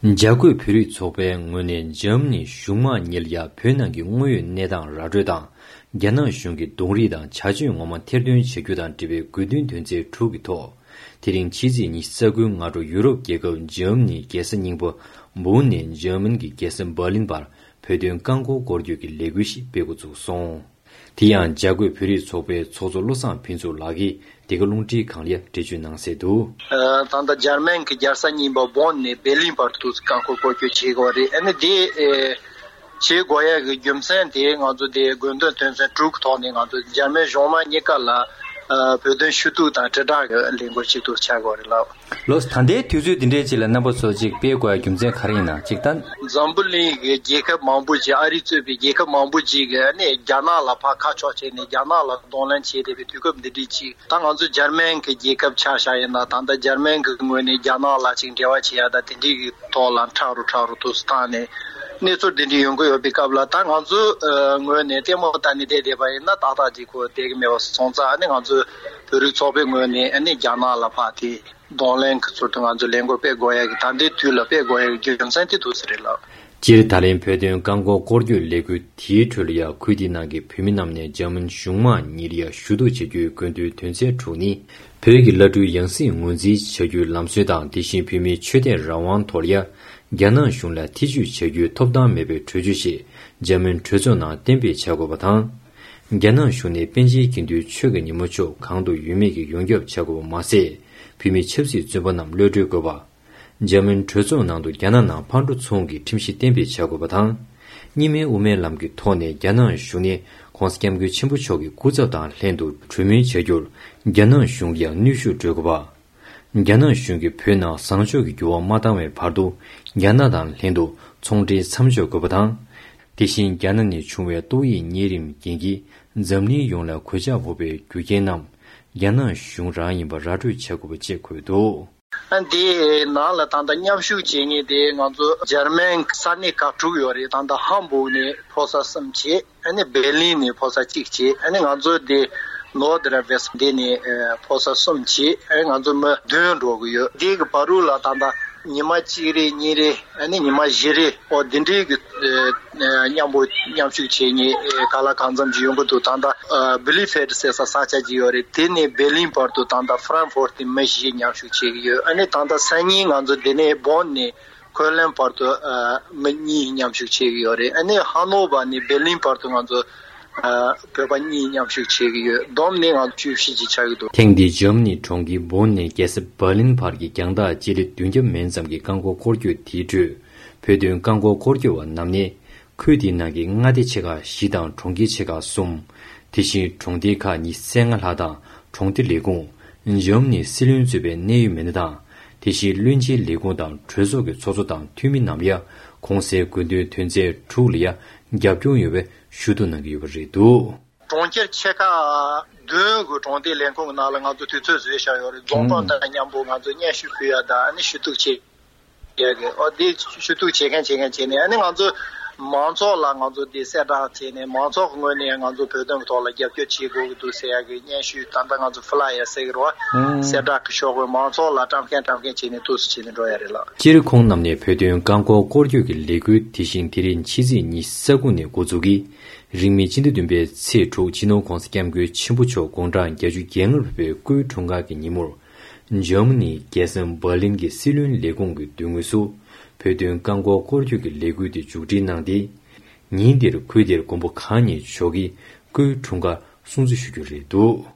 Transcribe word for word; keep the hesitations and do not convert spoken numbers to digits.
འཇར་འགོད་བོད་རིགས་ཚོགས་པའི་ངོས་ནས་འཇར་མ་ནི་གཞུང་མང་གཉིས་ལ་ཡ་བོད་ནང་གི་དངོས་ཡོད་གནས་སྟངས་ར་སྤྲོད་དང་། རྒྱ་ནག་གཞུང་གི་གདོང་རིས་དང་བྱ་སྤྱོད་ངོ་མ་ཐེར་འདོན་བྱ་རྒྱུ་དང་འབྲེལ་བའི་དགོས་འདུན་དོན་ཚན་དྲུག་གི་ཐོག་དེ་རིང་ཕྱི་ཚེས་ཉི་ཤུ་རྩ་དགུའི་སྔ་དྲོ་ཡུ་རོབ་རྒྱལ་ཁབ་འཇར་མ་ནིའི་རྒྱལ་ས་རྙིང་པ་འབུག་ནས་འཇར་མན་གྱི་རྒྱལ་ས་འབར་ལིན་བར་བོད་དོན་རྐང་འཁོར་སྐོར་སྐྱོད་ཀྱི་ལས་འགུལ་ཞིག་སྤེལ་འགོ་ཚུགས་སོང་། དེ་ཡང་འཇར་འགོད་བོད་རིགས་ཚོགས་པའི་ཚོགས་གཙོ་བློ་བཟང་ཕུན་ཚོགས་ལགས་ཀྱིས་འདི་ག་རླུང་འཕྲིན་ཁང་ལ་འགྲེལ་བརྗོད་གནང་གསལ་འདུག། ད་ལྟ་འཇར་མན་གྱི་རྒྱལ་ས་རྙིང་པ་འབུག་ནས་འབེར་ལིན་བར་དུ་རྐང་འཁོར་སྐོར་སྐྱོད་བྱེད་དགོས་པ་རེད། ཨ་ནི་དེ་བྱེད་དགོས་ཡ་གི་རྒྱུ་མཚན་དེ་ང་ཚོ་དེ་དགོས་འདུན་དོན་ཚན་དྲུག་གི་ཐོག་ནས་ང་ཚོ་འཇར་མན་གཞུང་མང་གཉིས་ཀ་ལ་བོད་དོན་ཞུ་གཏུག་དང་དྲིལ་བསྒྲགས་ཀྱི་ལས་འགུལ་ཞིག་ཏུ་ཆགས་དགོས་རེད་ལགས། ལོ། ད་ལྟའི་དུས་ཚོད་འདི་འདྲའི་ཅིག་ལ་རྣམ་པ་ཚོ་ཅིག་སྤེལ་དགོས་རྒྱུ་མཚན་ག་རེ་ཡིན་ན་ཅིག་ད། འཛམ་བུ་གླིང་གི་རྒྱལ་ཁབ་མང་པོ་ཅིག་ཨ་རི་གཙོས་པའི་རྒྱལ་ཁབ་མང་པོ་ཅིག་གིས་ཨ་ནི་རྒྱ་ནག་ལ་ཕར་ཁ་ཕྱོགས་བྱས་ནས་རྒྱ་ནག་ལ་གདོང་ལེན་བྱས་བསྡད་པའི་དུས་སྐབས་འདི་འདྲའི་ཅིག་ད་ང་ཚོ་འཇར་མན་གྱི་རྒྱལ་ཁབ་ཆ་བཞག་ཡིན་ན་ད་ལྟ་འཇར་མན་གྱི་ངོས་ནས་རྒྱ་ནག་ལ་ཅིག་འབྲེལ་བ་བྱེད་ཡ་ད་དེ་འདྲའི་གི་ཐོག་ལ་ཁྲ་རུ་ཁྲ་རུ་དུས་སུ་བཏང་ནས་གནས་ཚུལ་འདི་འདྲའི་ཡོང་གི་ཡོད་པའི་སྐབས་ལ་ད་ང་ཚོ་ངོས་ནས་ལྟད་མོ་ལྟ་ནས་བསྡད་བསྡད་པ་ཡིན་ན་ཏག་ཏག་ཅིག་གོ་བསྡད་གི་མེད་པ་སོང་ཙང་ཨ་ནི་ང་ཚོ་བོད་རིགས་ཚོགས་པའི་ངོས་ནས་ཨ་ནི་རྒྱ་ནག་ལ་ཕར་དེ། གདོང་ལེན་གྱི་ཚུལ་དུ་ང་ཚོ་ལས་འགུལ་སྤེལ་དགོས་ཡ་གི་ད་ལྟའི་དུས་ལ་སྤེལ་དགོས་ཡ་གི་རྒྱུ་མཚན་དེ་འདུག་ས་རེད་ལགས། སྤྱིར་ད་ལན་བོད་དོན་རྐང་འཁོར་སྐོར་སྐྱོད་ལས་འགུལ་དེའི་ཁྲོད་ལ་ཡ་ཁུལ་དེའི་ནང་གི་བོད་མི་རྣམས་ནས་འཇར་མན་གཞུང་མང་གཉིས་ལ་ཡ་ཞུ་གཏུག་བྱ་རྒྱུའི་དགོས་འདུན་དོན་ཚན་དྲུག་ནི། བོད་ཀྱི་བླ་སྤྲུལ་ཡང་སྲིད་ངོས་འཛིན་བྱ་རྒྱུའི་ལམ་སྲོལ་དང་དེ་བཞིན་བོད་མིའི་ཆོས་དད་རང་དབང་ཐོག་ལ་ཡ་རྒྱ་ནག་གཞུང་ལ་ཐེ་ཇུས་བྱ་རྒྱུའི་ཐོབ་ཐང་མེད་པའི་གྲོས་ཆོད་ཞིག་འཇར་མན་གྲོས་ཚོགས་ནང་གཏན་འབེབས་བྱ་དགོས་པ་དང་། རྒྱ་ནག་གཞུང་ནས་པཎ་ཆེན་དགེ་འདུན་ཆོས་ཀྱི་ཉིན་མོ་ཕྱོགས་གང་དུ་ཡོད་མེད་ཀྱི་ཡོངས་ཁྱབ་བྱ་དགོས་པ་མ་ཟད། བོད་མི་ཆབ་སྲིད་བཙོན་པ་རྣམས་གློད་གྲོལ་དགོས་པ། འཇར་མན་གྲོས་ཚོགས་ནང་དུ་རྒྱ་ནག་ནང་ཕར་འགྲོ་ཚུར་འོང་གི་ཁྲིམས་གཞི་གཏན་འབེབས་བྱ་དགོས་པ་དང་། གཉིས་སྨན་དབུ་མའི་ལམ་གྱི་ཐོག་ནས་རྒྱ་ནག་གཞུང་ནས་༸གོང་ས་༸སྐྱབས་མགོན་ཆེན་པོ་མཆོག་གི་སྐུ་ཚབ་དང་ལྷན་དུ་གྲོས་མོལ་བྱ་རྒྱུར་རྒྱ་ནག་གཞུང་གིས་ཡང་གནོན་ཤུགས་སྤྲོད་དགོས་པ། རྒྱ་ནག་གཞུང་གིས་བོད་ནང་བཟང་ཕྱོགས་ཀྱི་འགྱུར་བ་མ་བཏང་བའི་བར་དུ་རྒྱ་ནག་དང་ལྷན་དུ་ཚོང་འབྲེལ་མཚམས་འཇོག་དགོས་པ་དང་། དེ་བཞིན་རྒྱ་ནག་ནས་བྱུང་བའི་ཏོག་དབྱིབས་གཉན་རིམས་རྐྱེན་གྱིས་འཛམ་གླིང་ཡོངས་ལ་གོད་ཆག་ཕོག་པའི་རྒྱུ་རྐྱེན་རྣམས་རྒྱ་ནག་གཞུང་རང་ཡིན་པ་ར་སྤྲོད་བྱ་དགོས་པ་བཅས་འཁོད་འདུག། ཨ་འདི་ནང་ལ་ད་ལྟ་མཉམ་ཞུགས་བྱེད་མཁན་དེ་ང་ཚོ་འཇར་མན་ས་གནས་ཁག་དྲུག་ཡོད་རེད། ད་ལྟ་ཧམ་བུག་ནས་ཕོ་གསར་གསུམ་བྱས། ཨ་ནི་བེར་ལིན་ནས་ཕོ་གསར་གཅིག་བྱས། ཨ་ནི་ང་ཚོ་དེ་ནོར་ཌ་ར་ཝེ་སི་འདི་ནས་ཨ་ཕོ་གསར་གསུམ་བྱས། ཨ་ནི་ང་ཚོ་མི་བདུན་འགྲོ་གི་ཡོད། དེ་གི་བར་དུ་ལ་ད་ལྟ་ཉི་མ་གཅིག་རེ་གཉིས་རེ་ཨ་ནི་ཉི་མ་བཞི་རེ་ཨོ་དེ་འདྲའི་གི་ཨ་མཉམ་པོ་མཉམ་ཞུགས་བྱེད་མཁན་ཨ་ག་ལ་གང་འཚམ་ཅིག་ཡོང་གི་འདུག། ད་ལྟ་ཨ་བི་ལི་ཕེད་ཟེར་ས་ས་ཆ་ཅིག་ཡོད་རེད། དེ་ནས་བེར་ལིན་བར་དུ་ད་ལྟ་ཧྥ་རན་ཧྥོར་ཏི་མི་བཞི་མཉམ་ཞུགས་བྱེད་ཀྱི་ཡོད། ཨ་ནི་ད་ལྟ་སང་ཉིན་ང་ཚོ་དེ་ནས་བོན་ནས་ཁོ་ལན་བར་དུ་ཨ་མི་གཉིས་མཉམ་ཞུགས་བྱེད་ཀྱི་ཡོད་རེད། ཨ་ནི་ཧ་ནོ་བར་ནས་བེར་ལིན་བར་དུ་ང་ཚོ་ཨ་བོད་པ་གཉིས་མཉམ་ཞུགས་བྱེད་ཀྱི་ཡོད། བསྡོམས་ནས་ང་ཚོ་བཅུ་བཞི་ཅིག་ཆགས་ཀྱི་འདུག། ཐེངས་འདིའི་འཇར་མ་ནི་གྲོང་ཁྱེར་བོན་ནས་རྒྱལ་ས་བར་ལིན་བར་གྱི་རྒྱང་ཐག་སྤྱི་ལེ་བདུན་བརྒྱ་མན་ཙམ་གྱི་རྐང་འཁོར་སྐོར་སྐྱོད་དེའི་ཁྲོད། བོད་དོན་རྐང་འཁོར་སྐོར་སྐྱོད་པ་རྣམས་ནས། ཁུལ་དེའི་ནང་གི་མངའ་སྡེ་ཆེ་ཁག་བཞི་དང་གྲོང་ཁྱེར་ཆེ་ཁག་གསུམ། དེ་བཞིན་གྲོང་སྡེ་ཁག་ཉི་ཤུ་རྩ་ལྔ་ལྷག་དང་གྲོང་སྡེ་ལས་ཁུངས། འཇར་མ་ནིའི་སྲིད་བློན་གཙོས་པའི་གནད་ཡོད་མི་སྣ་དང་། དེ་བཞིན་བློན་ཆེན་ལས་ཁུངས་དང་གྲོས་ཚོགས་ཀྱི་ཚོགས་གཙོ་དང་འཐུས་མི་རྣམས་ཡང་གོང་གསལ་དགོས་འདུན་དོན་ཚན་དྲུག་ལ་ཡང་རྒྱབ་སྐྱོར་ཡོད་པའི་ཞུ་གཏུག་གནང་གི་ཡོད་པ་རེད་འདུག། གྲོང་ཁྱེར་ཆེ་ཁག་བདུན་གྱི་གྲོང་སྡེ་ལས་ཁུངས་ཀྱི་ནང་ལ་ང་ཚོ་དུས་ཚོད་བཟོས་བཞག་ཡོད་རེད། རྫོང་དཔོན་དང་མཉམ་པོ་ང་ཚོ་སྙན་ཞུ་ཕུལ་ཡ་དང་ཨ་ནི་ཞུ་གཏུག་བྱེད་ཡ་གི་ཨོ་དེ་ཞུ་གཏུག་བྱེད་མཁན་བྱེད་མཁན་བྱས་ནས་ཨ་ནི་ང་ཚོ་མང་ཚོགས་ལ་ང་ཚོ་དེ་གསལ་བསྒྲགས་བྱས་ནས་མང་ཚོགས་ཀྱི་ངོས་ནས་ང་ཚོ་བོད་དོན་གྱི་ཐོག་ལ་རྒྱབ་སྐྱོར་བྱེད་དགོས་ཀྱི་འདུག་ཟེར་ཡ་གི་སྙན་ཞུ་ད་ལྟ་ང་ཚོ་ཕི་ལ་ཡར་ཟེར་གི་རེད་བ། གསལ་བསྒྲགས་ཀྱི་ཤོག་བུ་མང་ཚོགས་ལ་བཀྲམ་མཁན་བཀྲམ་མཁན་བྱས་ནས་འདུག་སེ་བྱས་ནས་འགྲོ་ཡ་རེད་ལགས། སྤྱིར་ཁོང་རྣམས་ནས་བོད་དོན་རྐང་འཁོར་སྐོར་སྐྱོད་ཀྱི་ལས་འགུལ་དེ་བཞིན་དེ་རིང་ཕྱི་ཚེས་ཉི་ཤུ་རྩ་དགུ་ནས་འགོ་འཛུགས་ཀྱིས། རིང་མིན་སྤྱི་ཟླ་བདུན་པའི་ཚེས་དྲུག་སྤྱི་ནོར་༸གོང་ས་༸སྐྱབས་མགོན་ཆེན་པོ་མཆོག་དགུང་གྲངས་བརྒྱད་ཅུ་གྱ་ལྔར་ཕེབས་པའི་སྐུའི་འཁྲུངས་སྐར་གྱི་ཉིན་མོར། འཇར་མ་ནིའི་རྒྱལ་ས་འབར་ལིན་གྱི་སྲིད་བློན་ལས་ཁུངས་ཀྱི་མདུན་ངོས་སུ། བོད་དོན་རྐང་འཁོར་སྐོར་སྐྱོད་ཀྱི་ལས་འགུལ་དེ་མཇུག་སྒྲིལ་གནང་སྟེ། ཉིན་དེར་ཁུལ་དེར་མགོན་པོ་གང་ཉིད་མཆོག་གིས་སྐུའི་འཁྲུངས་སྐར་སྲུང་བརྩི་ཞུ་རྒྱུ་རེད་འདུག།